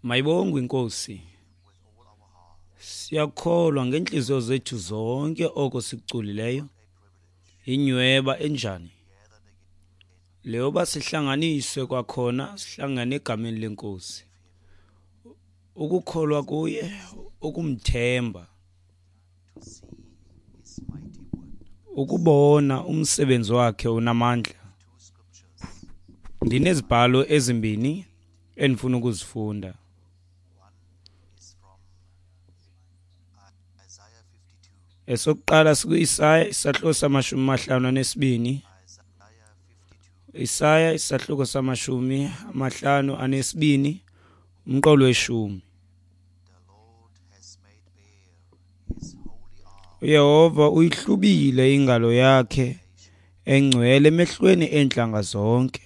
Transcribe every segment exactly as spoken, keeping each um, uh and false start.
Mayibongwe iNkosi. Siyakholwa ngeentliziyo zethu zonke oko sikuculileyo. Inyweba enjani leyoba sihlanganiswe kwakhona, sihlangane egameni leNkosi. Ukukholwa kuye, ukumthemba, ukubona umsebenzi wakhe unamandla. Ndinezibhalo ezimbini endifuna ukuzifunda. Esokuqala sikuIsaya isahluko samashumi amahlanu anesibini. Isaya isahluko samashumi amahlanu anesibini, umqolo weshumi. uYehova uyihlubile ingalo yakhe engcwele emehlweni eentlanga zonke.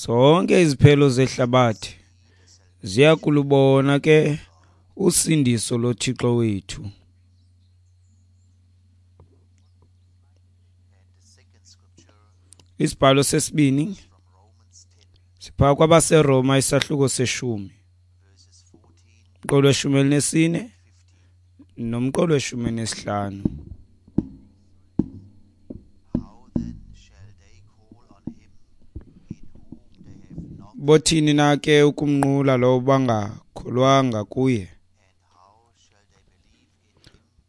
Zonke iziphelo zehlabathi ziya kulubona ke usindiso loThixo wethu. Isibhalo sesibini sipha kwabaseRoma isahluko seshumi, umqolo weshumi elinesine nomqolo weshumi nesihlanu. Bothini na ke ukumnqula lowo bangakholwanga kuye?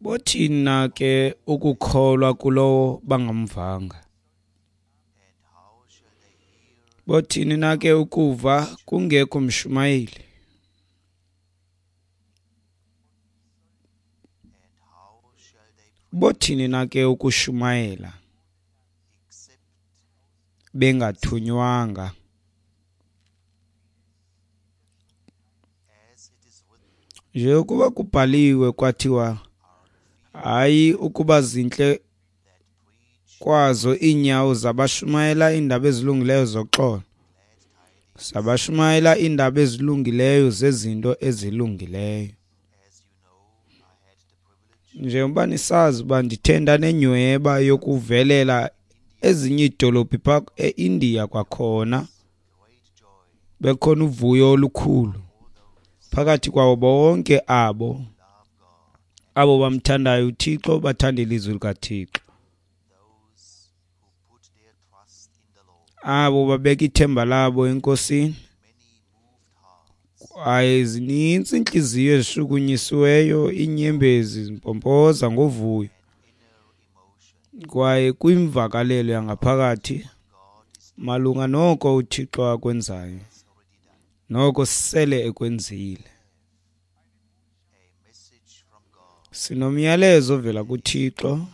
Bothini na ke ukukholwa kulowo bangamvanga? Bothini na ke ukuva kungekho mshumayeli? Bothini na ke ukushumayela bengathunywanga? Njengokuba kubhaliwe kwathiwa, hayi ukuba zintle kwazo iinyawo zabashumayela iindaba ezilungileyo zoxolo, zabashumayela iindaba ezilungileyo zezinto ezilungileyo. Njengoba nisazi uba ndithe ndanenyhweba yokuvelela ezinye iidolophu phaa eIndiya kwakhona, bekhona uvuyo olukhulu phakathi kwawo bonke abo abo bamthandayo uThixo, bathanda ilizwi likaThixo, abo babeka ithemba labo eNkosini. Kwaye zinintsi iintliziyo ezishukunyisiweyo, iinyembezi zimpompoza ngovuyo, kwaye kwimvakalelo yangaphakathi malunga noko uThixo akwenzayo, noko sele ekwenzile. Sinomyalezo ovela kuThixo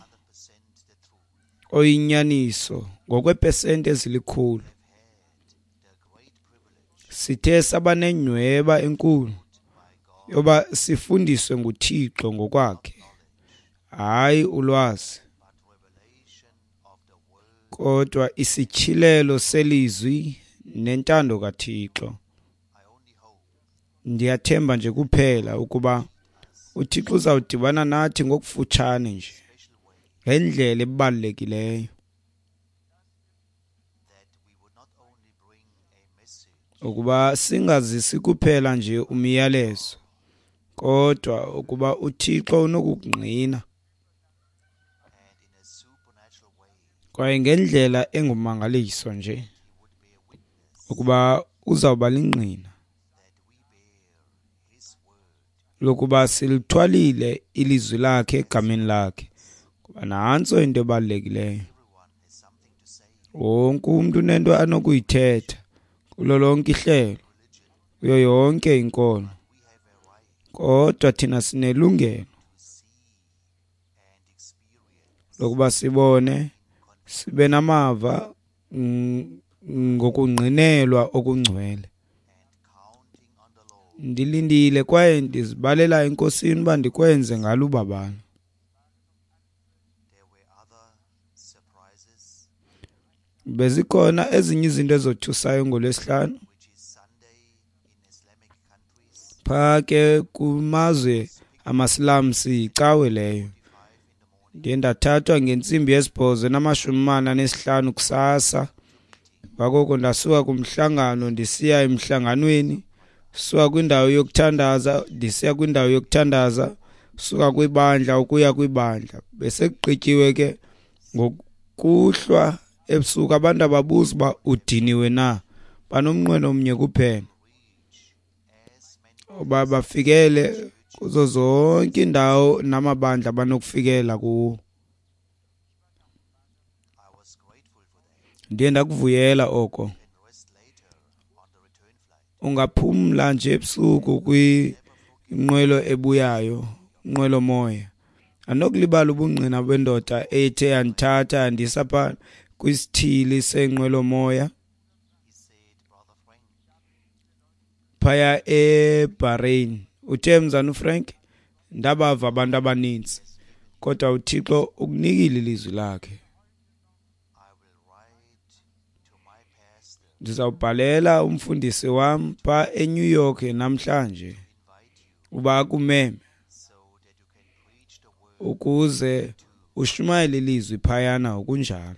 oyinyaniso ngokweepesenti ezilikhulu. Sithe saba nenyhweba enkulu yoba sifundiswe nguThixo ngokwakhe, hayi ulwazi, kodwa isityhilelo selizwi nentando kaThixo. Ndiyathemba nje kuphela ukuba uThixo uzawudibana nathi ngokufutshane nje ngendlela ebalulekileyo, ukuba singazisi kuphela nje umyalezo, kodwa ukuba uThixo unokukungqina kwaye ngendlela engumangaliso nje ukuba uzawuba lingqina lokuba silithwalile ilizwi lakhe egameni lakhe. Kuba nantso into ebalulekileyo. Wonke umntu unento anokuyithetha kulo lonke ihlelo, kuyo yonke inkolo, kodwa thina sinelungelo lokuba sibone, sibe namava ngokungqinelwa okungcwele. Ndilindile kwaye ndizibalela eNkosini uba ndikwenze ngalo ubabalo. Bezikhona ezinye izinto ezothusayo ngoLwesihlanu phaa ke kumazwe amaSilamsi, yicawe leyo. Ndiye ndathathwa ngentsimbi yesibhozo namashumi amane anesihlanu kusasa. Ngakoko ndasuka kumhlangano ndisiya emhlanganweni Suka kwindawo yokuthandaza ndisiya kwindawo yokuthandaza, suka kwibandla ukuya kwibandla. Besekugqityiwe ke ngokuhlwa ebusuku, abantu ababuza uba udiniwe na, banomnqweno omnye kuphela, uba bafikele kuzo zonke iindawo namabandla abanokufikela kuwo. Ndiye ndakuvuyela oko. Ungaphumla nje ebusuku kwinqwelo ebuyayo, inqwelomoya. Andinokulibala ubungqina bendoda ethe yandithatha yandisa phaa kwisithili senqwelomoya phaya eBahrain. Uthe mzana uFrank, ndabava abantu abaninzi, kodwa uThixo ukunikile ilizwi lakhe. Ndizawubhalela umfundisi wam phaa eNew York namhlanje uba akumeme ukuze ushumayele ilizwi phayana ngokunjalo.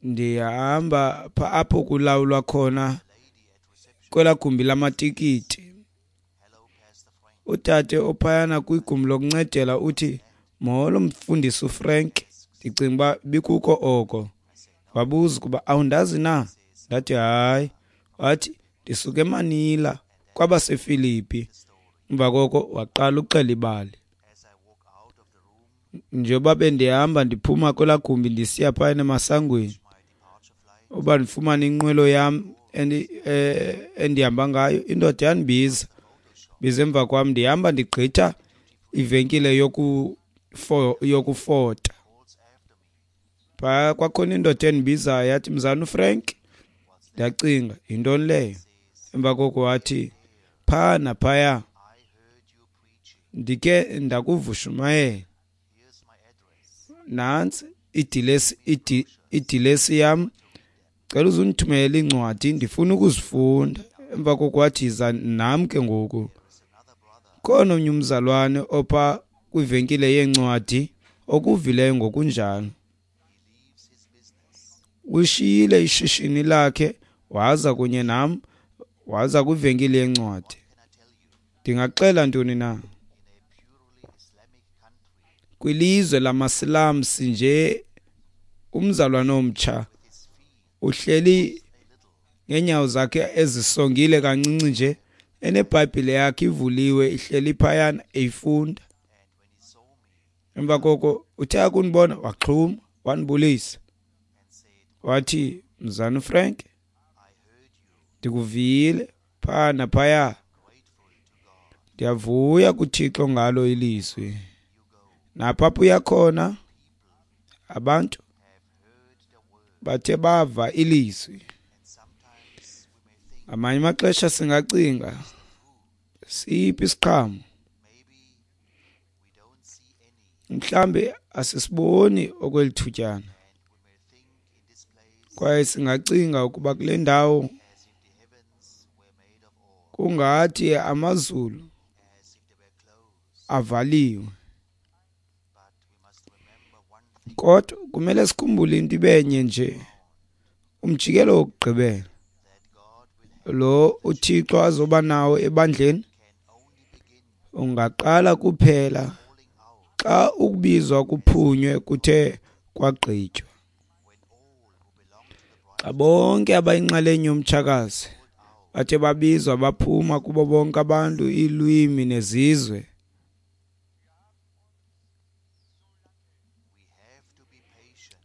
Ndihamba pha apho kulawulwa khona kwelaa gumbi lamatikiti. Utata ophayana kwigumbi lokuncedela uthi, molo mfundisi uFrank, ndicinga uba bikuko oko. Wabuza ukuba awundazi na? Ndathi hayi. Wathi ndisuka eManila kwabaseFilipi. Emva koko waqala uxela ibali. Njengoba bendihamba ndiphuma kwelaa gumbi ndisiya phayana emasangweni uba ndifumane inqwelo yam endihamba ngayo, indoda yandibiza, biza emva kwam. Ndihamba ndigqitha ivenkile yokufota. Phaa kwakhona indoda endibizayo yathi, mzana uFrank. Ndacinga, yintoni leyo? Emva koko wathi, phaa naphaya ndike ndakuva ushumayela. Nantsi idilesi, idilesi yam, cela uzundithumelele iincwadi, ndifuna ukuzifunda. Emva koko wathi, yiza nam ke ngoku. Khona omnye umzalwane opha kwivenkile yeencwadi okuvileyo ngokunjalo. Ushiyile ishishini lakhe waza kunye nam, waza kwivenkile yeencwadi. Ndingaxela ntoni na? Kwilizwe lamaSilamsi nje umzalwane omtsha uhleli ngeenyawo zakhe ezisongile kancinci nje, eneBhayibhile yakhe ivuliwe ihleli phayana eyifunda. Emva koko uthe akundibona waxhuma, wandibulisa. Wathi, mzana uFrank, ndikuvile phaa naphaya. Ndiyavuya kuThixo ngalo ilizwi. Napha apho uya khona abantu bathe bava ilizwi. Ngamanye amaxesha singacinga siphi isiqhamo, mhlambe asisiboni okwelithutyana, kwaye singacinga ukuba kule ndawo kungathi amazulu avaliwe. Kodwa kumele sikhumbule into ibenye nje, umjikelo wokugqibela lo uThixo azoba nawo ebandleni ungaqala kuphela xa ukubizwa kuphunywe kuthe kwagqitywa. Xa bonke abayinxalenye yomtshakazi bathe babizwa baphuma kubo bonke abantu, iilwimi nezizwe,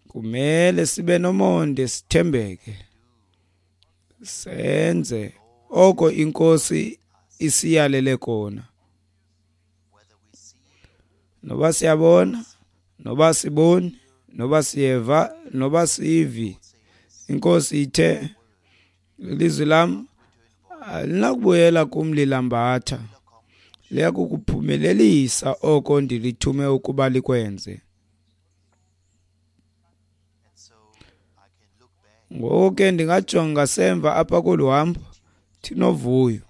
kumele sibe nomonde, sithembeke, senze oko iNkosi isiyalele kona. Noba siyabona, noba siboni, noba siyeva, noba sivi, iNkosi ithe, ilizwi lam alinakubuyela kum lilambatha, liya kukuphumelelisa oko ndilithume ukuba likwenze. Ngoko ke ndingajonga semva apha kolu hambo ndinovuyo,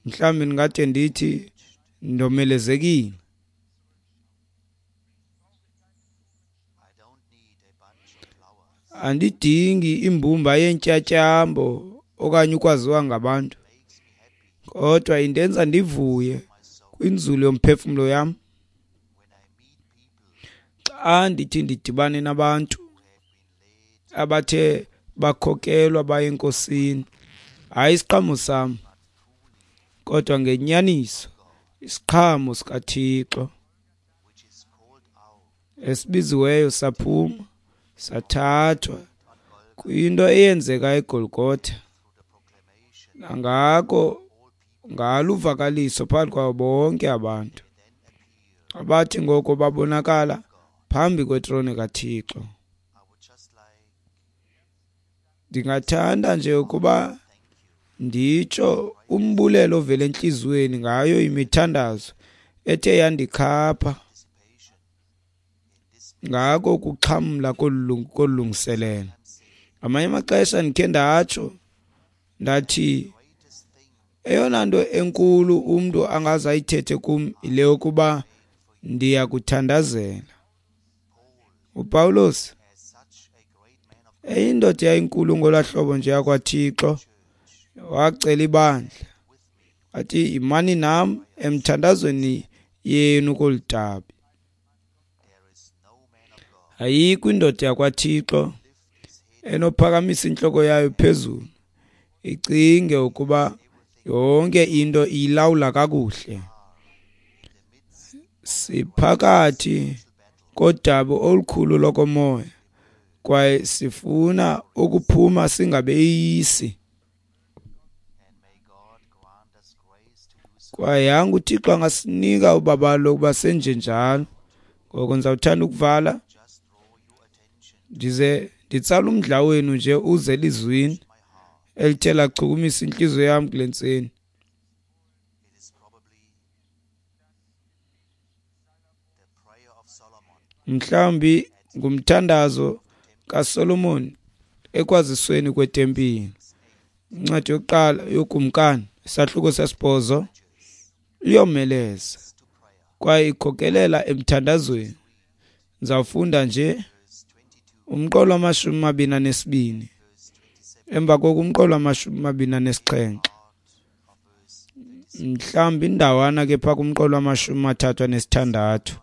mhlawumbi ndingade ndithi ndomelezekile. Andidingi imbumba yeentyatyambo okanye ukwaziwa ngabantu, kodwa indenza ndivuye kwinzulu yomphefumlo yam xa ndithi ndidibane nabantu abathe bakhokelwa baye eNkosini. Hayi isiqhamo sam, kodwa ngenyaniso isiqhamo sikaThixo esibiziweyo saphuma sathathwa kwinto eyenzeka eGolgotha, nangako ngalo uvakaliso phakathi kwabo bonke abantu abathi ngoko babonakala phambi kwetrone kaThixo. Ndingathanda nje ukuba nditsho umbulelo ovela entliziyweni ngayo imithandazo ethe yandikhapha ngako ukuxhamla kolu lungiselelo. Ngamanye amaxesha ndikhe ndatsho ndathi eyona nto enkulu umntu angaze ayithethe kum yile yokuba ndiyakuthandazela. UPawulos eyindoda eyayinkulu ngolaa hlobo nje yakwaThixo, wacela ibandla wathi, yimani nam emthandazweni yenu kolu dabi. Ayikho indoda yakwaThixo enophakamisa intloko yayo phezulu icinge ukuba yonke into iyilawula kakuhle. Siphakathi kodabi olukhulu lokomoya kwaye sifuna ukuphuma singabeyisi. Kwaye yanga uThixo angasinika ubabalo lokuba senjenjalo. Ngoko ndizawuthanda ukuvala ndize nditsala umdla wenu nje uze elizwini elithe lachukumisa intliziyo yam kule ntseni. Mhlawumbi ngumthandazo kaSolomon ekwazisweni kwetempile. Incwadi yokuqala yoKumkani, isahluko sesibhozo, iyomeleza kwaye ikhokelela emthandazweni. Ndizawufunda nje umqolo wamashumi amabini anesibini, emva koko umqolo wamashumi amabini anesixhenxe, mhlawumbi indawana ke phaa kumqolo wamashumi amathathu anesithandathu.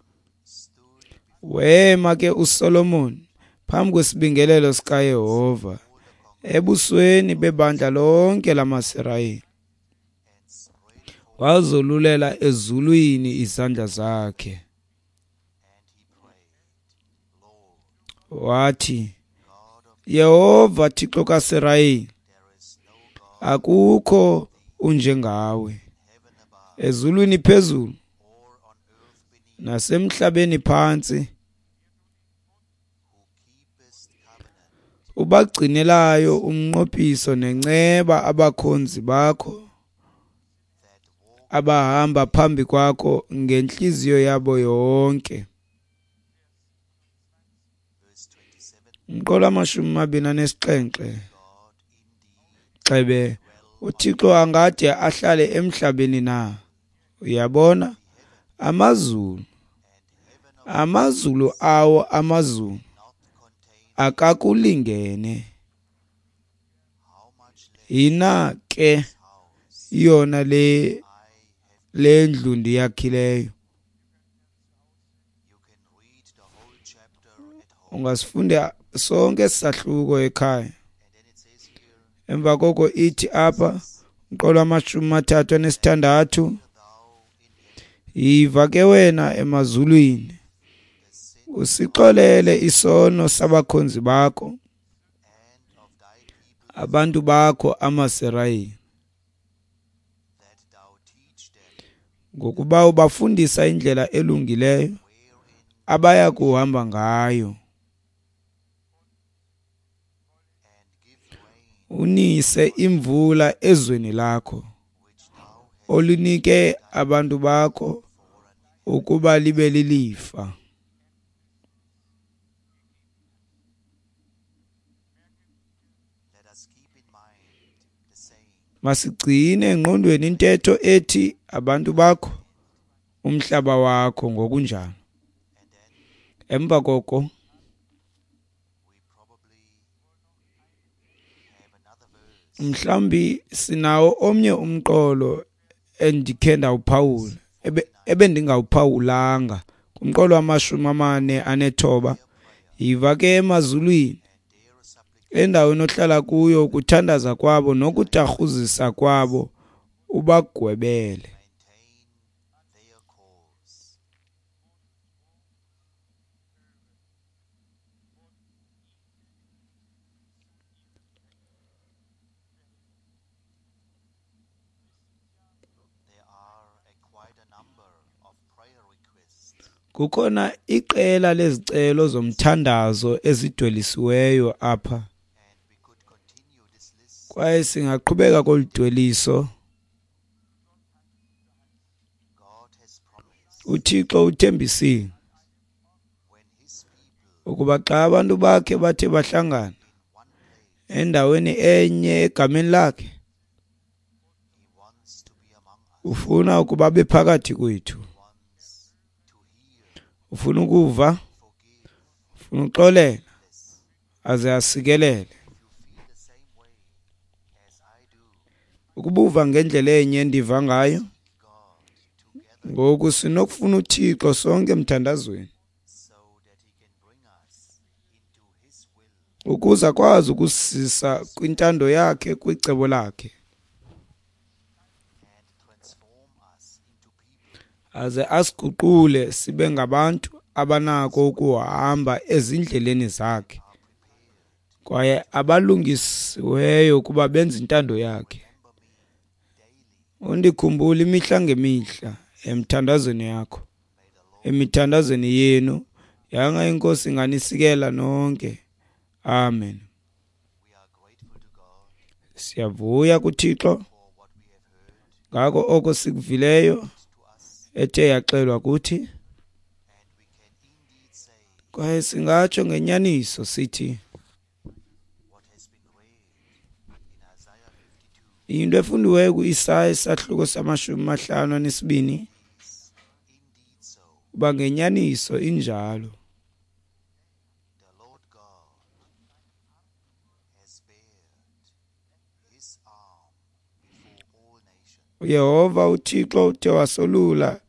Wema ke uSolomon phambi kwesibingelelo sikaYehova ebusweni bebandla lonke lamaSirayeli, wazolulela ezulwini izandla zakhe, wathi, Yehova Thixo kaSirayeli, akukho unjengawe ezulwini phezulu nasemhlabeni phantsi, ubagcinelayo umnqophiso nenceba abakhonzi bakho abahamba phambi kwakho ngentliziyo yabo yonke. Umqolo wamashumi amabini anesixhenxe. Xebe uThixo angade ahlale emhlabeni na? Uyabona, amazulu, amazulu awo amazulu akakulingene. Yina ke yona le le ndlu ndiyakhileyo. Ungasifunda sonke sahluko ekhaya. Emva koko ithi apha umqolo wamashumi amathathu anesithandathu, yiva ke wena emazulwini, usixolele isono sabakhonzi bakho, abantu bakho amaSirayeli, ngokuba ubafundisa indlela elungileyo abaya kuhamba ngayo. Unise imvula ezweni lakho olunike abantu bakho ukuba libe lilifa. Masigcine engqondweni intetho ethi abantu bakho, umhlaba wakho ngokunjalo. Emva koko Mhlawumbi sinawo omnye umqolo endikhe ndawuphawula, ebendingawuphawulanga, kumqolo wamashumi amane anethoba. Yiva ke emazulwini, endaweni ohlala kuyo, ukuthandaza kwabo nokutarhuzisa kwabo, ubagwebele. Kukhona iqela lezicelo zomthandazo ezidwelisiweyo apha, kwaye singaqhubeka kolu dweliso. UThixo uthembisile ukuba xa abantu bakhe bathe bahlangana endaweni enye egameni lakhe, ufuna ukuba abe phakathi kwethu. Ufuna ukuva, ufuna uxolela, aze asikelele. Ukubuva ngendlela enye endiva ngayo, ngoku sinokufuna uThixo sonke emthandazweni, ukuze akwazi ukusisa kwintando yakhe, kwicebo lakhe, aze asiguqule sibe ngabantu abanako ukuhamba ezindleleni zakhe, kwaye abalungisiweyo ukuba benze intando yakhe. Undikhumbule imihla ngemihla emthandazweni yakho, emithandazweni yenu. Yanga iNkosi inganisikela nonke. Amen. Siyavuya kuThixo ngako oko sikuvileyo ethe yaxelwa kuthi, kwaye singatsho ngenyaniso sithi into efundiweyo ku-Isaya isahluko samashumi amahlanu anesibini, uba ngenyaniso injalo. uYehova uThixo uthe wasolula,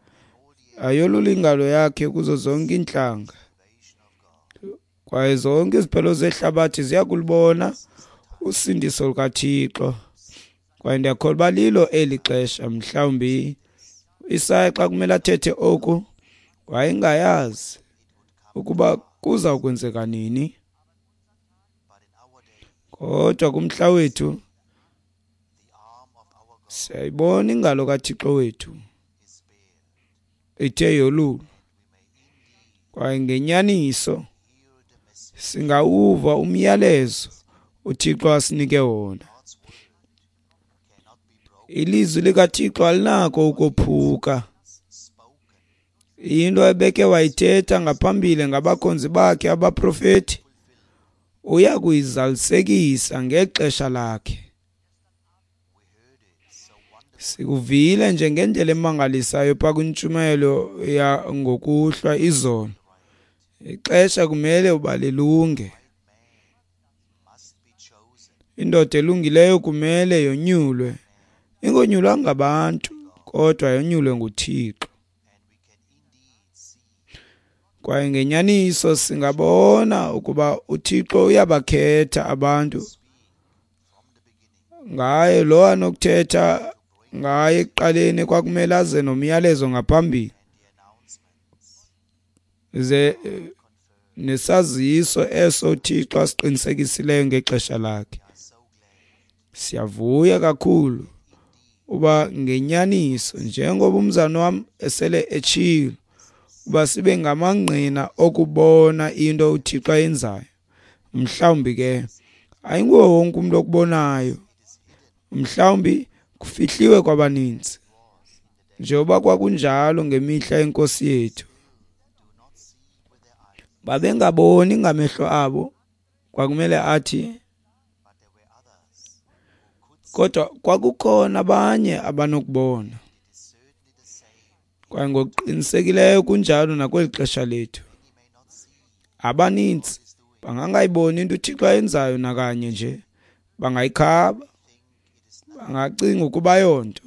ayolula ingalo yakhe kuzo zonke iintlanga, kwaye zonke iziphelo zehlabathi ziya kulubona usindiso lukaThixo. Kwaye ndiyakholwa uba lilo eli xesha. Mhlawumbi Isaya xa kumele athethe oku wayengayazi ukuba kuza kwenzeka nini, kodwa kumhla wethu siyayibona ingalo kaThixo wethu ithe yolulwa, kwaye ngenyaniso singawuva umyalezo uThixo asinike wona. Ilizwi likaThixo alinako ukophuka. Into ebeke wayithetha ngaphambili ngabakhonzi bakhe abaprofeti, uya kuyizalisekisa ngexesha lakhe. Sikuvile nje ngendlela emangalisayo pha kwintshumayelo yangokuhlwa izolo. Ixesha kumele uba lilunge. Indoda elungileyo kumele yonyulwe, ingonyulwa ngabantu, kodwa yonyulwe nguThixo. Kwaye ngenyaniso singabona ukuba uThixo uyabakhetha abantu ngaye lo anokuthetha ngaye ekuqaleni. Kwakumele aze nomyalezo ngaphambili, ze nesaziso eso uThixo asiqinisekisileyo ngexesha lakhe. Siyavuya kakhulu uba ngenyaniso, njengoba umzana wam esele etshilo, uba sibe ngamangqina okubona into uThixo ayenzayo. Mhlawumbi ke ayinguwo wonke umuntu okubonayo, mhlawumbi kufihliwe kwabaninzi, njengoba kwakunjalo ngemihla yenkosi yethu. Babengaboni ngamehlo abo, kwakumele athi, kodwa kwakukhona abanye abanokubona. Kwaye ngokuqinisekileyo kunjalo nakweli xesha lethu. Abaninzi bangangayiboni into uThixo ayenzayo nakanye nje, bangayikhaba, Bangacinga ukuba yonto,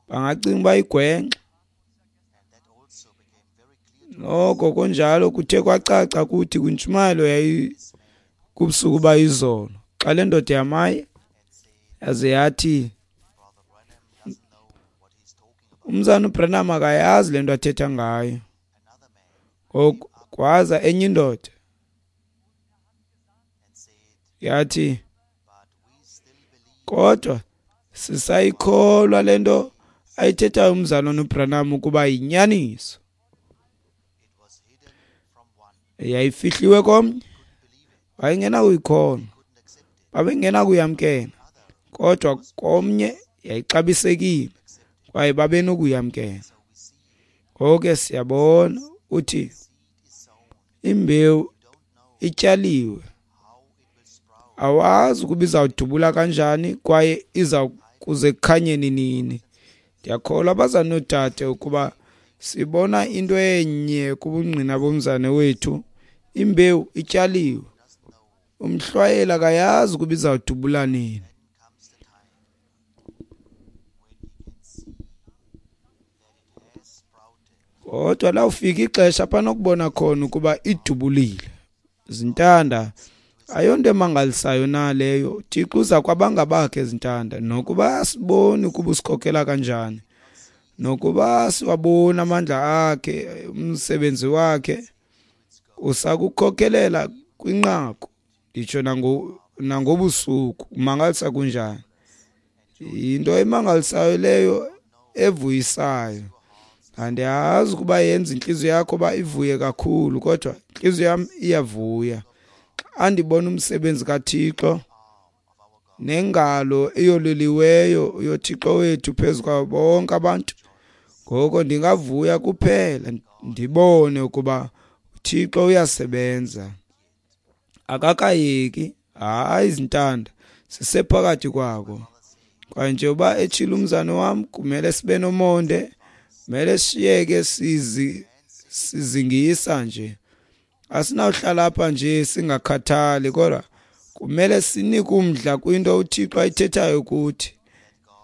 bangacinga uba igwenxa. Noko kunjalo kuthe kwacaca kuthi kwintshumayelo yayi kubusuku bayizolo, xa le ndoda yamaye yaze yathi umzana uBranham akayazi le nto athetha ngayo. Ngoku kwaza enye indoda yathi, kodwa sisayikholwa le nto ayithethayo umzalwana uBranham ukuba yinyaniso. Yayifihliwe komnye, wayengenakuyikholwa, babengenakuyamkela, kodwa komnye yayixabisekile kwaye babenokuyamkela. Ngoko ke siyabona uthi imbewu ityaliwe, awazi ukuba izawudubula kanjani kwaye iza kuze kukhanyeni nini. Ndiyakholwa abazali noodade ukuba sibona into enye kubungqina bomzane wethu. Imbewu ityaliwe, umhlwayeli akayazi ukuba izawudubula nini. Kodwa lawufika ixesha apha nokubona khona ukuba idubulile. Zintanda, ayonto emangalisayo na leyo? Thixo uza kwabangabakhe zintanda, nokuba asiboni ukuba usikhokela kanjani, nokuba siwabona amandla akhe, umsebenzi wakhe usakukhokelela kwinqaku, nditsho nangobusuku. Umangalisa kunjani? Yinto emangalisayo leyo, evuyisayo. Andiyazi ukuba yenza intliziyo yakho uba ivuye kakhulu, kodwa intliziyo yam iyavuya xa ndibona umsebenzi kaThixo nengalo eyololiweyo yoThixo wethu phezu kwabo bonke abantu. Ngoko ndingavuya kuphela ndibone ukuba uThixo uyasebenza, akakayeki. Hayi zintanda, sisephakathi kwako. Kwaye njengoba etshilo umzane wam, kumele sibe nomonde, kumele siyeke sizi sizingisa nje. Asinawuhlala apha nje singakhathali, kodwa kumele sinike umdla kwinto uThixo ayithethayo kuthi.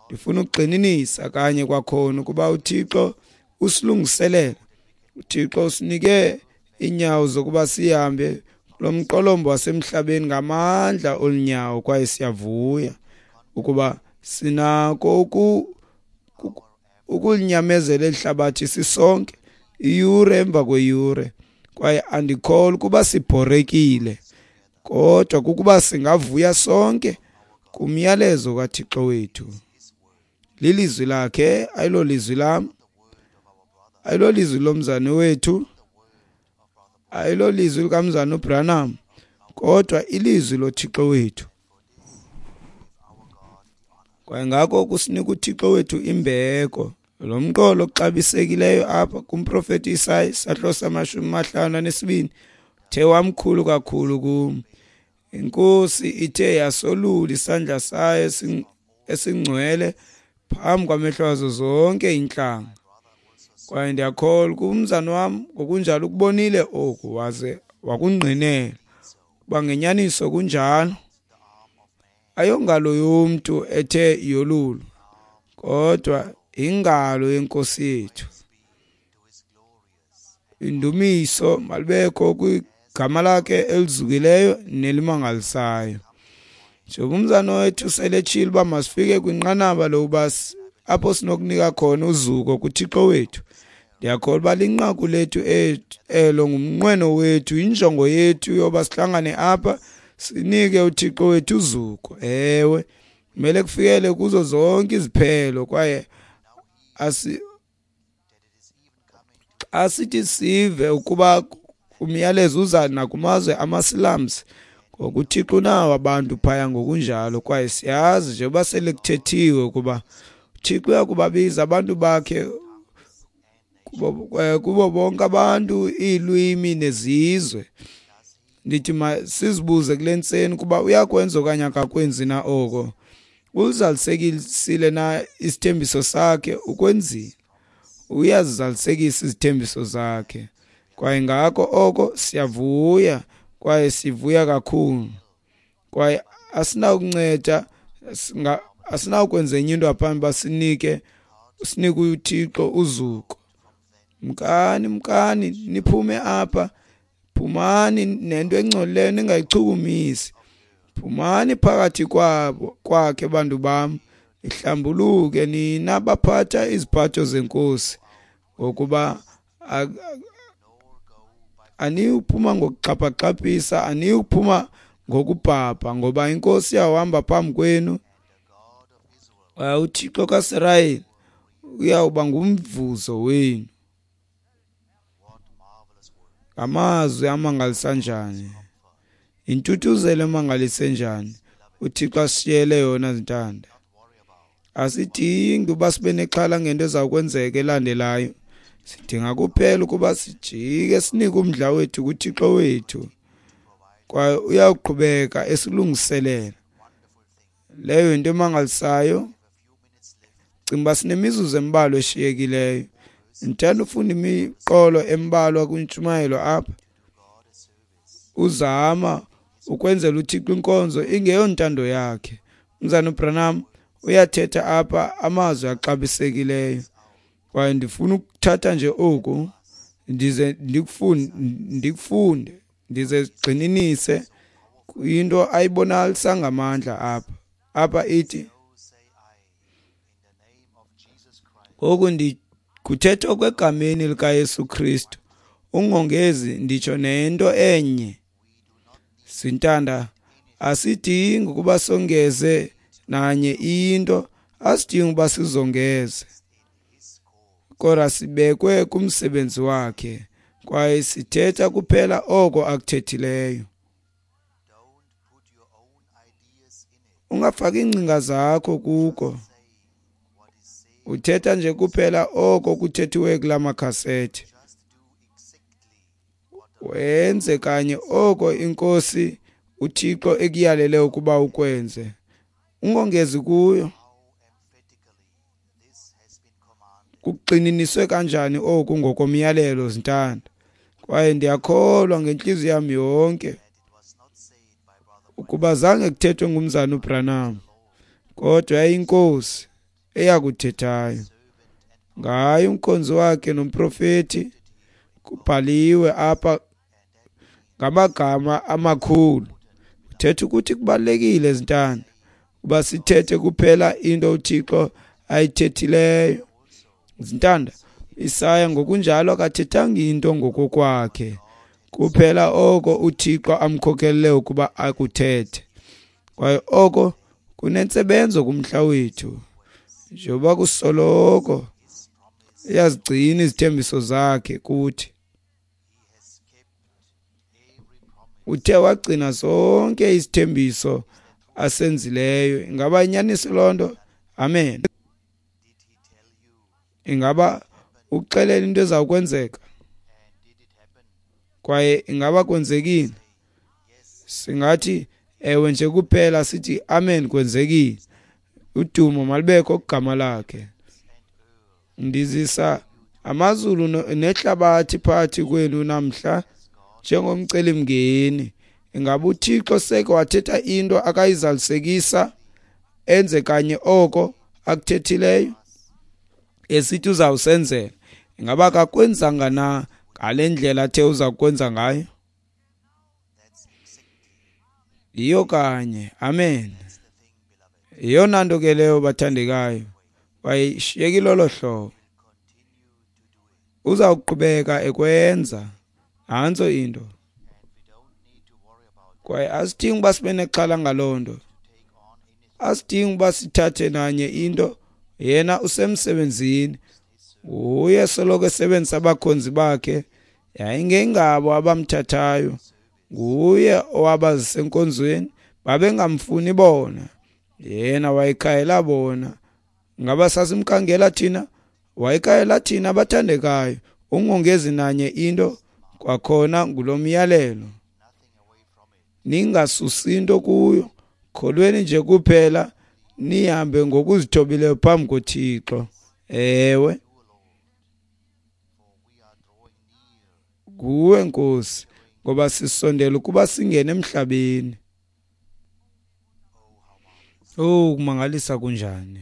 Ndifuna ukugxininisa kanye kwakhona ukuba uThixo usilungiselela, uThixo usinike iinyawo zokuba sihambe kulo mqolombo wasemhlabeni ngamandla olunyawo, kwaye siyavuya ukuba sinako uku ukulinyamezela eli hlabathi sisonke iyure emva kweyure. Kwaye andikholwa ukuba sibhorekile, kodwa kukuba singavuya sonke kumyalezo kaThixo wethu. Lilizwi lakhe, ayilolizwi lam, ayilolizwi lomzane wethu, ayilolizwi likamzane uBranham, kodwa ilizwi loThixo wethu. Kwaye ngako kusinika uThixo wethu imbeko. Lo mqolo oxabisekileyo apha kumprofeti Isaya isahluko samashumi amahlanu anesibini uthe wamkhulu kakhulu kum. Inkosi ithe yasolula isandla sayo esingcwele phambi kwamehlo azo zonke iintlanga. Kwaye ndiyakholwa ukuba umzane wam ngokunjalo ukubonile oku waze wakungqinela ukuba ngenyaniso kunjalo. Ayongalo yomntu ethe yolulwa, kodwa ingalo yenkosi yethu. Indumiso malibekho kwigama lakhe elizukileyo nelimangalisayo. Njengoba umzane wethu seletshile uba masifike kwinqanaba lokuba apho sinokunika khona uzuko kuThixo wethu, ndiyakholwa uba linqaku lethu elo, ngumnqweno wethu, injongo yethu yoba sihlangane apha sinike uThixo wethu uzuko. Ewe, kumele kufikele kuzo zonke iziphelo, kwaye asi asithi sive ukuba umyalezo uza nakumazwe amaSilamsi, ngoku uThixo unawo abantu phaya ngokunjalo. Kwaye siyazi njengoba sele kuthethiwe ukuba uThixo uyakubabiza abantu bakhe kubo, kubo bonke abantu, iilwimi nezizwe. Ndithi sizibuze kule ntseni ukuba uyakwenza okanye akakwenzi na oko. Uzalisekisile na isithembiso sakhe? Ukwenzile. Uyazizalisekisa izithembiso zakhe. Kwaye ngako oko siyavuya, kwaye sivuya kakhulu. Kwaye asinakunceda Asinawukwenza enye into ngaphambi uba sinike sinike uThixo uzuko. Mkani, mkani, niphume apha. Phumani nento engcolileyo ningayichukumisi. Phumani phakathi kwabo kwakhe bantu bam, ihlambuluke nina baphatha iziphatho zenkosi, ngokuba aniyuphuma ngokuxhaphaxhaphisa, aniyuphuma ngokubhabha, ngoba inkosi iyawuhamba phambi kwenu. UThixo kaSirayeli uyawuba ngumvuzo wenu. Ngamazwi amangalisa njani, intuthuzelo emangalise njani uThixo asishiyele yona zintanda. Asidingi uba sibe nexhala ngento ezawukwenzeka elandelayo. Sidinga kuphela ukuba sijike sinike umdla wethu kuThixo wethu, kwaye uyawuqhubeka esilungiselela. Leyo yinto emangalisayo. Cinga uba sinemizuzu embalwa eshiyekileyo. Ndithanda ufunda imiqolo embalwa kwintshumayelo apha. Uzama ukwenzela uThixo inkonzo ingeyontando yakhe. Umzana uBranham uyathetha apha amazwi axabisekileyo, kwaye ndifuna ukuthatha nje oku ndize ndikufunde, ndikufunde ndize sigxininise kwinto ayibonakalisa ngamandla apha. Apha ithi, ngoku ndikuthetha okwegameni likaYesu Kristu, ungongezi nditsho nento enye. Sintanda, asidingi ukuba songeze nanye into, asidingi ukuba sizongeze, kodwa sibekwe kumsebenzi wakhe, kwaye sithetha kuphela oko akuthethileyo. Ungafaki iingcinga zakho kuko, uthetha nje kuphela oko kuthethiwe kula makhasethi. Wenze kanye oko inkosi uThixo ekuyalele ukuba ukwenze, ungongezi kuyo. Kugxininiswe kanjani oku ngokomyalelo zintanda? Kwaye ndiyakholwa ngentliziyo yam yonke ukuba zange kuthethwe ngumzana uBranham, kodwa yayinkosi eyakuthethayo ngaye umkhonzi wakhe nomprofeti. Kubhaliwe apha ngamagama amakhulu. Kuthetha ukuthi kubalulekile zintanda ukuba sithethe kuphela into uThixo ayithethileyo. Zintanda, Isaya ngokunjalo akathethanga into ngokokwakhe, kuphela oko uThixo amkhokelele ukuba akuthethe. Kwaye oko kunentsebenzo kumhla wethu, njengoba kusoloko uyazigcina izithembiso zakhe kuthi. Uthe wagcina zonke izithembiso asenzileyo. Ingaba inyaniso loo nto? Amen. Ingaba ukuxelela into ezawukwenzeka? Kwaye ingaba kwenzekile? Singathi ewe nje kuphela, sithi amen, kwenzekile. Udumo malubekho kugama lakhe. Ndizisa amazulu nehlabathi phakathi kwenu namhla njengomcelimngeni. Ingaba uThixo seke wathetha into akayizalisekisa, enze kanye oko akuthethileyo esithi uzawusenzela? Ingaba akakwenzanga na ngale ndlela athe uza kwenza ngayo? Yiyo kanye. Amen. Yeyona nto ke leyo bathandekayo. Wayishiyekile lolo hlobo, uzawuqhubeka ekwenza. Nantso into. Kwaye asidingi uba sibe nexhala ngaloo nto, asidingi uba sithathe nanye into. Yena usemsebenzini, uye soloko esebenzisa abakhonzi bakhe. Yayingengabo abamthathayo, nguye owabazisa enkonzweni. Babengamfuni bona, yena wayekhayela bona. Ngaba sasimkhangela thina? Wayekhayela thina abathandekayo. Ungongezi nanye into, kwakhona ngulo myalelo. Ningasusi into kuyo, kholweni nje kuphela, nihambe ngokuzithobileyo phambi koThixo. Ewe, nguwe Nkosi, ngoba sisondela ukuba singene emhlabeni. Oh, kumangalisa kunjani!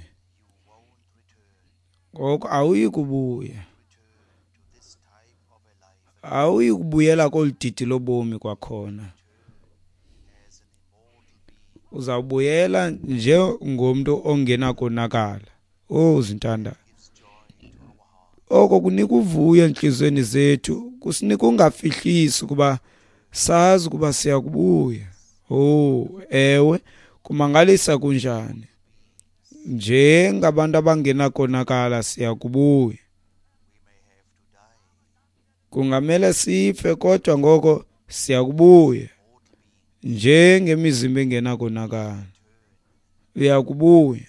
Ngoko awuyi kubuya, awuyi kubuyela kolu didi lobomi kwakhona. Uzawubuyela njengomntu ongenakonakala. Oh, zintanda, oko kunika uvuyo entliziyweni zethu, kusinika ungafihlisi ukuba sazi ukuba siyakubuya. Oh, ewe, kumangalisa kunjani! Njengabantu abangenakonakala siyakubuya. Kungamele sife, kodwa ngoko siyakubuya njengemizimba engenakonakala. Uyakubuya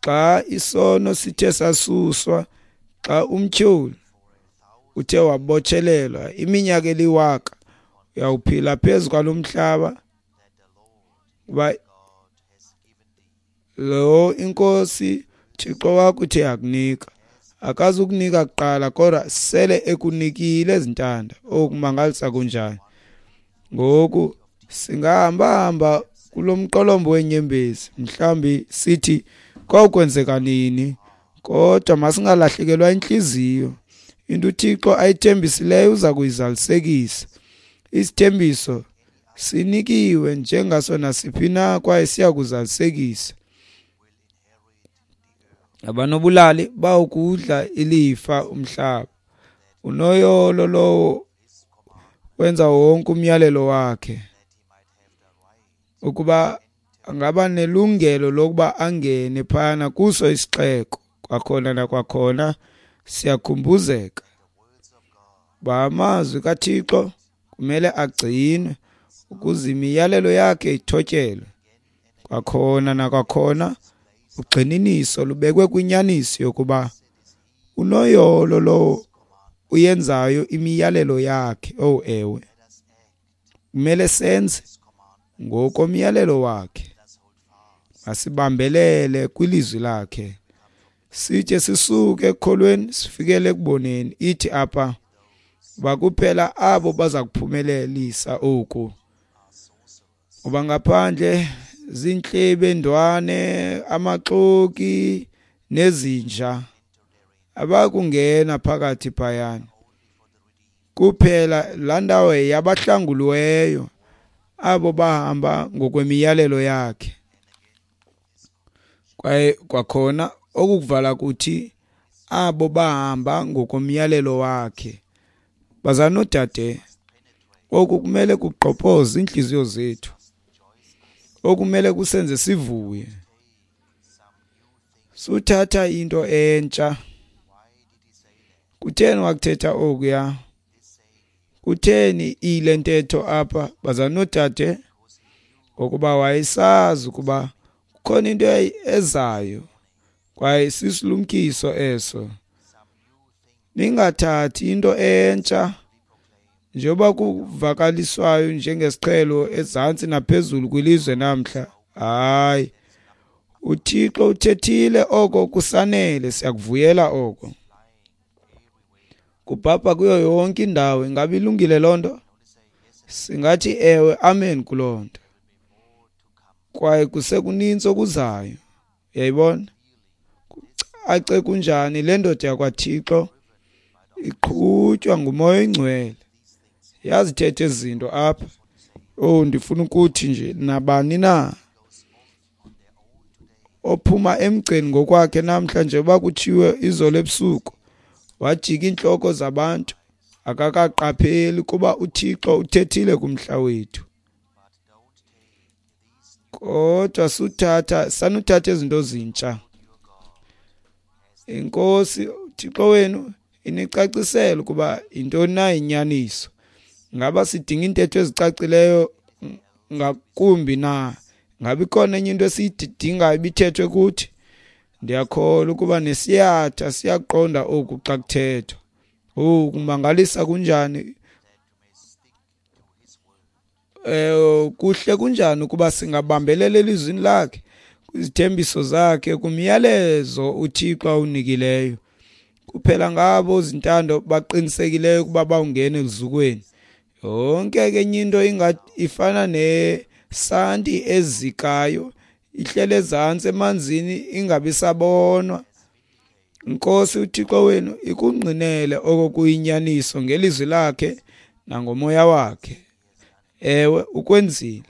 xa isono sithe sasuswa, xa umtyholi uthe wabotshelelwa iminyaka eliwaka, uyawuphila phezu kwalo mhlaba uba lo inkosi Thixo wakho uthe yakunika. Akazukunika kuqala, kodwa sele ekunikile ezintanda. Okumangalisa kunjani! Ngoku singahamba-hamba kulo mqolombo wenyembezi, mhlawumbi sithi kwawukwenzeka nini, kodwa masingalahlekelwa intliziyo. Into uThixo ayithembisileyo uza kuyizalisekisa. Isithembiso sinikiwe njengaso nasiphi na, kwaye siya kuzalisekisa. Abanobulali bawukudla ilifa umhlaba. Unoyolo lowo wenza wonke umyalelo wakhe, ukuba angaba nelungelo lokuba angene phana kuso isixeko. Kwakhona nakwakhona siyakhumbuzeka uba amazwi kaThixo kumele agcinwe ukuze imiyalelo yakhe ithotyelwe. Kwakhona nakwakhona ugxininiso lubekwe kwinyaniso yokuba unoyolo lowo uyenzayo imiyalelo yakhe. Oh ewe, kumele senze ngokomyalelo wakhe. Masibambelele kwilizwi lakhe, sithe sisuke ekukholweni sifikele ekuboneni. Ithi apha bakuphela abo baza kuphumelelisa oku, ngoba ngaphandle zintlebendwane, amaxoki nezinja abakungena phakathi phayana. Kuphela laa ndawo yabahlanguliweyo, abo bahamba ngokwemiyalelo yakhe. Kwaye kwakhona okukuvala kuthi abo bahamba ngokomyalelo wakhe. Bazalwane noodade, oku kumele kugqobhoze iintliziyo zethu, okumele kusenze sivuye. Suthatha into entsha. Kutheni wakuthetha okuya? Kutheni ile ntetho apha, bazalwane noodade? Ngokuba wayesazi ukuba kukhona into ezayo, kwaye sisilumkiso eso. Ningathathi into entsha njengoba kuvakaliswayo njengesiqhelo ezantsi naphezulu kwilizwe namhla. Hayi, uThixo uthethile, oko kusanele, siyakuvuyela oko. Kubhabha kuyo yonke indawo. Ingabe ilungile loo nto? Singathi ewe, amen kuloo nto. Kwaye kusekuninzi okuzayo. Uyayibona? Kucace kunjani le ndoda yakwaThixo iqhutywa nguMoya oyiNgcwele. Yazithetha ezi zinto apha. Oh, ndifuna ukuthi nje nabani na ophuma emgceni ngokwakhe namhla, njengoba kutshiwo izolo ebusuku, wajika iintloko zabantu, akakaqapheli kuba uThixo uthethile kumhla wethu. Kodwa suthatha sanuthatha izinto zintsha. Inkosi uThixo wenu inicacisele ukuba yintoni na inyaniso. Ngaba sidinga iintetho ezicacileyo ngakumbi na? Ngabe ikhona enye into esiyidingayo ibithethwe kuthi? Ndiyakholwa ukuba nesiyatha siyaqonda oku xa kuthethwa. Oh, kumangalisa kunjani! Eh, kuhle kunjani ukuba singabambelela elizwini lakhe, kwizithembiso zakhe, kumyalezo uThixo awunikileyo. Kuphela ngabo zintando baqinisekileyo ukuba bawungena eluzukweni. Yonke ke enye into ingathi ifana ne santi ezikayo ihlele ezantsi emanzini ingabi sabonwa. Inkosi uThixo wenu ikungqinele oko kuyinyaniso ngelizwi lakhe nangomoya wakhe. Ewe, ukwenzile.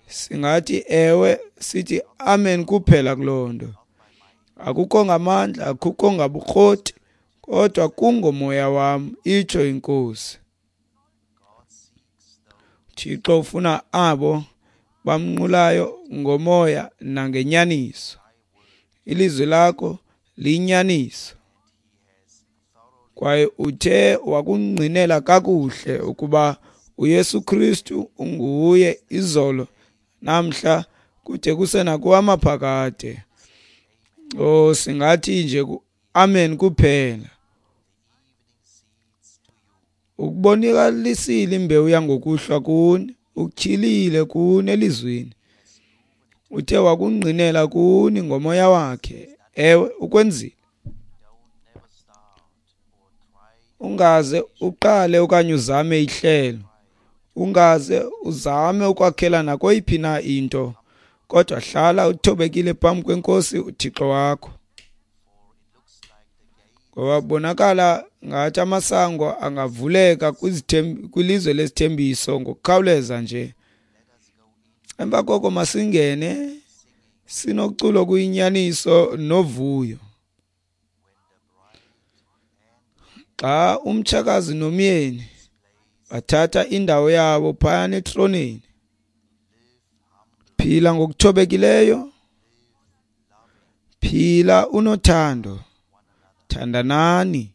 Singathi ewe, sithi amen kuphela kuloo nto. Akukho ngamandla, akukho ngabukroti, kodwa kungomoya wam, itsho iNkosi. Thixo ufuna abo bamnqulayo ngomoya nangenyaniso. Ilizwi lakho liyinyaniso. Kwaye uthe wakungqinela kakuhle ukuba uYesu Kristu unguye izolo, namhla, kude kuse nakuwamaphakade. Oh, singathi nje amen kuphela. Ukubonakalisile imbewu yangokuhlwa kuni, ukutyhilile kuni elizwini. Uthe wakungqinela kuni ngomoya wakhe. Ewe, ukwenzile. Ungaze uqale okanye uzame ihlelo. Ungaze uzame ukwakhela nakweyiphi na into, kodwa hlala uthobekile phambi kweNkosi uThixo wakho. Ngoba bonakala ngathi amasango angavuleka kwilizwe lesithembiso ngokukhawuleza nje. Emva koko masingene sinoculo kuyinyaniso novuyo. Xa umtshakazi nomyeni bathatha indawo yabo phayana etroneni, phila ngokuthobekileyo, phila unothando, thandanani.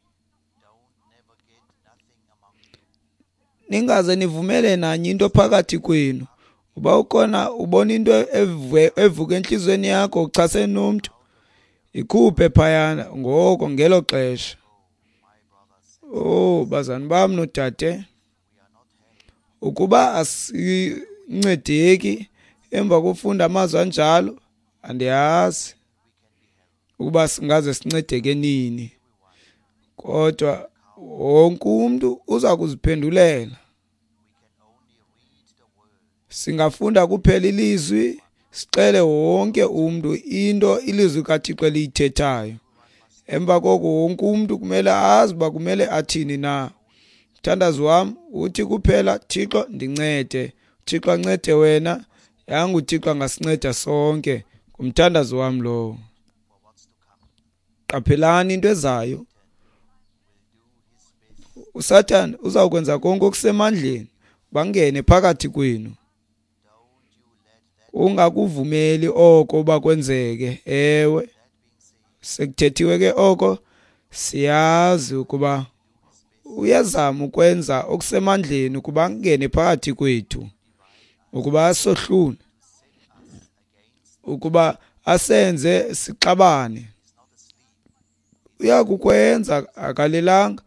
Ningaze nivumele nanye into phakathi kwenu. Uba ukhona ubona into evuka enhliziyweni yakho uchasene nomntu, ikhuphe phayana ngoko ngelo xesha. Oh, bazani bam nodade, ukuba asincedeki emva kofunda amazwi anjalo, andiyazi ukuba singaze sincedeke nini. Kodwa wonke umntu uza kuziphendulela. Singafunda kuphela ilizwi, sicele wonke umntu into ilizwi kaThixo eliyithethayo. Emva koko wonke umntu kumele azi uba kumele athini na. Mthandazo wam uthi kuphela, Thixo ndincede, Thixo ancede wena, yanga uThixo angasinceda sonke. Ngumthandazo wam lowo. Qaphelani into ezayo. uSathane uzawukwenza konke okusemandleni bangene phakathi kwenu. Ungakuvumeli oko uba kwenzeke. Ewe, sekuthethiwe ke oko, siyazi ukuba uyazama ukwenza okusemandleni ukuba angene phakathi kwethu, ukuba asohlule, ukuba asenze sixabane. Uyakukwenza, akalelanga.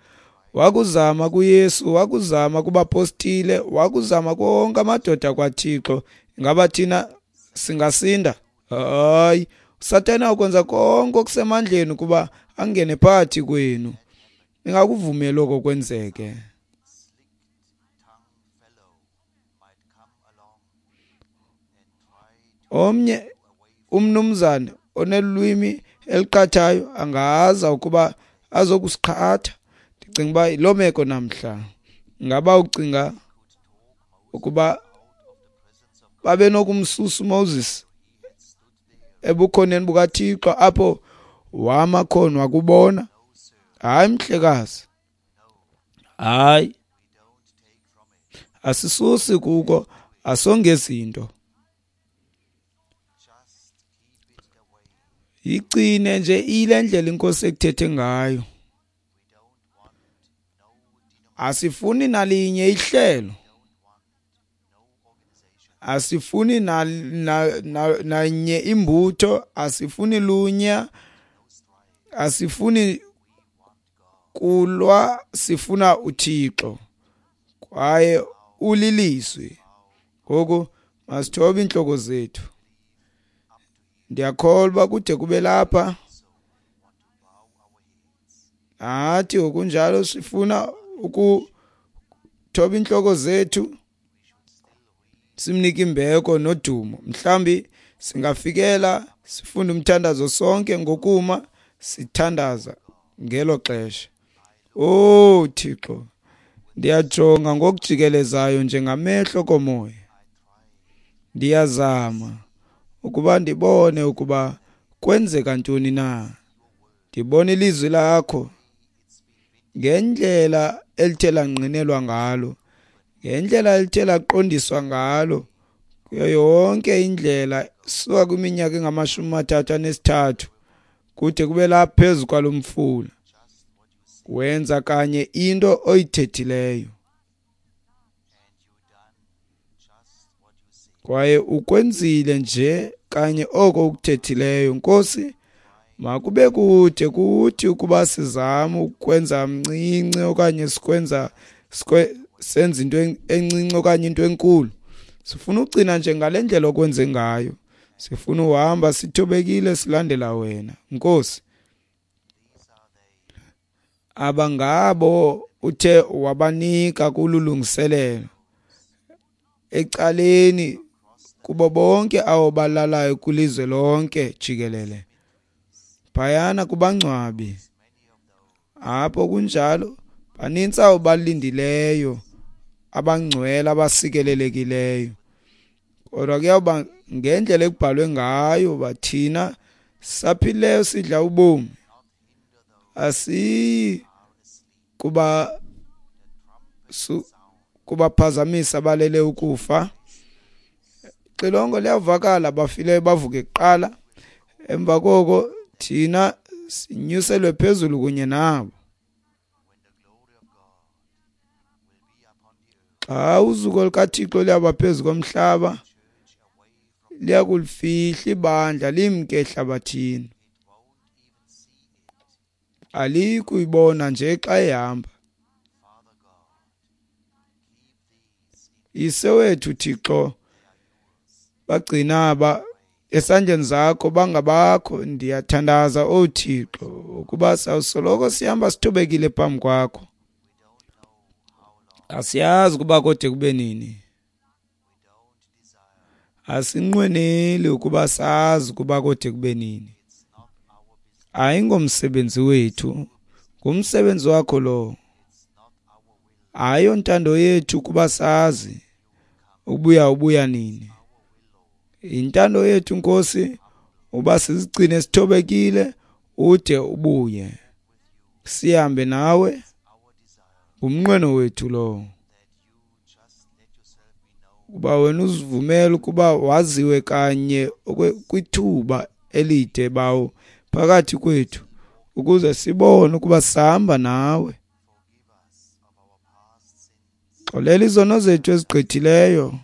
Wakuzama kuYesu, wakuzama kubapostile, wakuzama konke amadoda kwaThixo. Ingaba thina singasinda? Hayi, uSathane ukwenza konke okusemandleni ukuba angene phakathi kwenu. Ningakuvumeli oko kwenzeke. Omnye umnumzane onelwimi eliqathayo angaza ukuba azokusiqhatha. Ndicinga uba yiloo meko namhla. Ngaba ucinga ukuba babenokumsusa uMoses ebukhoneni bukaThixo apho wama khona wakubona? Hayi mhlekazi, hayi, asisusi kuko, asongezinto. Yigcine nje ile ndlela iNkosi ekuthethe ngayo. Asifuni nalinye ihlelo, asifuni na, na, na, nanye imbutho, asifuni lunya, asifuni kulwa, sifuna uThixo kwaye ulilizwi. Ngoku masithobe inhloko zethu. Ndiyakholwa kude kube lapha. Nathi ngokunjalo sifuna ukuthoba inhloko zethu. Simnike imbeko nodumo. Mhlambi singafikela sifunde umthandazo sonke ngokuma sithandaza ngelo xesha. Oh Thixo, ndiyajonga ngokujikelezayo njengamehlo komoya. Ndiyazama ukuba ndibone ukuba kwenzeka ntoni na. Ndibona ilizwi lakho ngendlela elithe langqinelwa ngalo, ngendlela elithe laqondiswa ngalo, kuyo yonke indlela suka kwiminyaka engamashumi amathathu anesithathu kude kube lapha phezu kwalo mfula. Wenza kanye into oyithethileyo, kwaye ukwenzile nje kanye oko ukuthethileyo. Nkosi, makube kude kuthi ukuba sizama ukwenza mncinci okanye sikwenza senza into encinci okanye into enkulu. Sifuna ugcina nje ngale ndlela okwenze ngayo. Sifuna uhamba sithobekile silandela wena Nkosi. Abangabo uthe wabanika kululungiselelo ecaleni kubo bonke abo balalayo kulizwe lonke jikelele, phayana kubangcwabi. Apho kunjalo banintsi abo balindileyo, abangcwele, abasikelelekileyo. Kodwa kuyawuba ngendlela ekubhalwe ngayo, bathina saphileyo sidla ubomi, asiyi kuba su, kubaphazamisa balele ukufa. Xilongo liyavakala, abafileyo bavuke kuqala, emva koko thina sinyuselwe phezulu kunye nabo. Xa uzuko lukaThixo liyaba phezu komhlaba, liyakulifihla ibandla limke ehlabathini. Aliyi kuyibona nje xa ihamba. Yise wethu Thixo, bagcina aba esandleni zakho, bangabakho. Ndiyathandaza, O Thixo, ukuba sawusoloko sihamba sithobekile phambi kwakho. Asiyazi ukuba kode kube nini. Asinqweneli ukuba sazi ukuba kode kube nini. Ayingomsebenzi wethu, ngumsebenzi wakho lo. Ayontando yethu ukuba sazi ubuya ubuya nini. Intando yethu Nkosi uba sizigcine sithobekile ude ubuye, sihambe nawe. Ngumnqweno wethu lo, kuba wena uzivumele ukuba waziwe kanye kwithuba elide bawo phakathi kwethu, ukuze sibone ukuba sihamba nawe. Xolela izono zethu ezigqithileyo,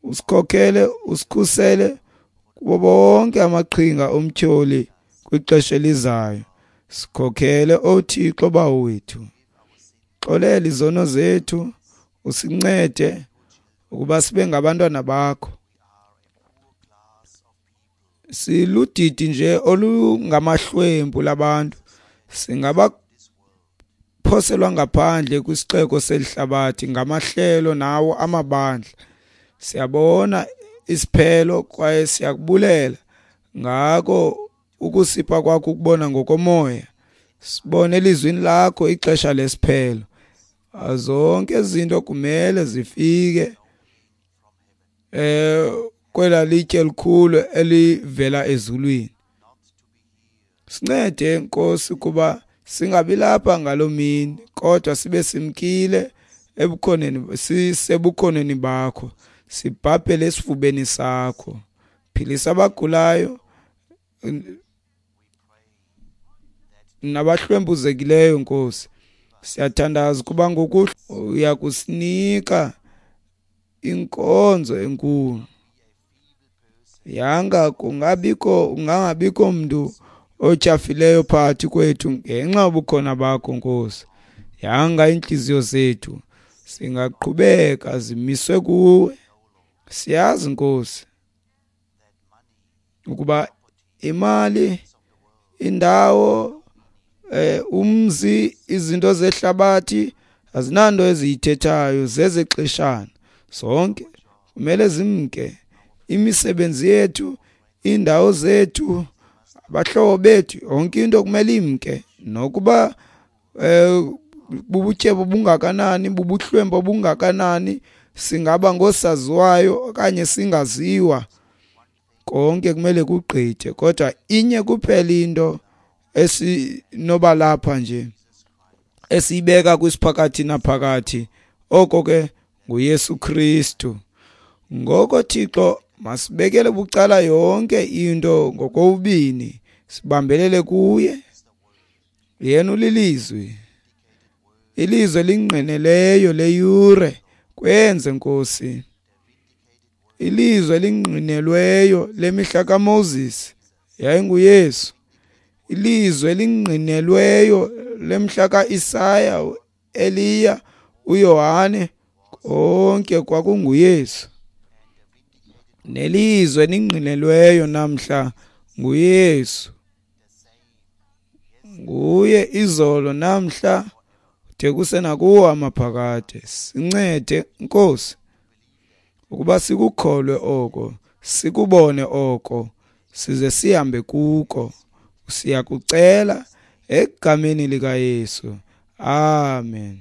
usikhokhele, usikhusele kubo bonke amaqhinga omtyholi kwixesha elizayo. Sikhokhele, O Thixo bawo wethu. Xolela izono zethu, usincede ukuba sibe ngabantwana bakho. Siludidi nje olungamahlwempu labantu, singabaphoselwa ngaphandle kwisixeko selihlabathi ngamahlelo nawo amabandla. Siyabona isiphelo kwaye siyakubulela ngako ukusipha kwakho ukubona ngokomoya. Sibone elizwini lakho ixesha lesiphelo. Zonke izinto kumele zifike eh kwela litye elikhulu elivela ezulwini. Sincede Nkosi kuba singabi lapha ngaloo mini, kodwa sibe simkile ebukhoneni, sisebukhoneni bakho, sibhabhele esifubeni sakho. Philisa abagulayo nabahlwempuzekileyo Nkosi. Siyathandaza kuba ngokuhlwa uyakusinika inkonzo enkulu. Yanga kungabikho ungangabikho mntu otyhafileyo phakathi kwethu ngenxa yobukhona bakho Nkosi. Yanga iintliziyo zethu singaqhubeka zimiswe kuwe. Siyazi Nkosi ukuba imali, indawo, eh umzi, izinto zehlabathi azinanto eziyithethayo, zezexeshana zonke. kumele zimke. Imisebenzi yethu, iindawo zethu, abahlobo bethu, yonke into kumele imke. Nokuba eh bubutyebo bungakanani, bubuhlwempu bungakanani, singaba ngosaziwayo okanye singaziwa, konke kumele kugqithe. Kodwa inye kuphela into esinoba lapha nje esiyibeka kwisiphakathi naphakathi, oko ke nguYesu Kristu. Ngoko Thixo, masibekele bucala yonke into ngokobini, sibambelele kuye. Yena ulilizwi, ilizwi elingqineleyo leyure. Kwenze Nkosi. Ilizwi elingqinelweyo lemihla kaMoses yayinguYesu. Ilizwi elingqinelweyo lemhla kaIsaya, Eliya, uYohane, konke kwakunguYesu. Nelizwi elingqinelweyo namhla nguYesu. Nguye izolo, namhla, de kuse nakuwo amaphakade. Sincede Nkosi ukuba sikukholwe oko, sikubone oko, size sihambe kuko. Siyakucela egameni likaYesu. Amen.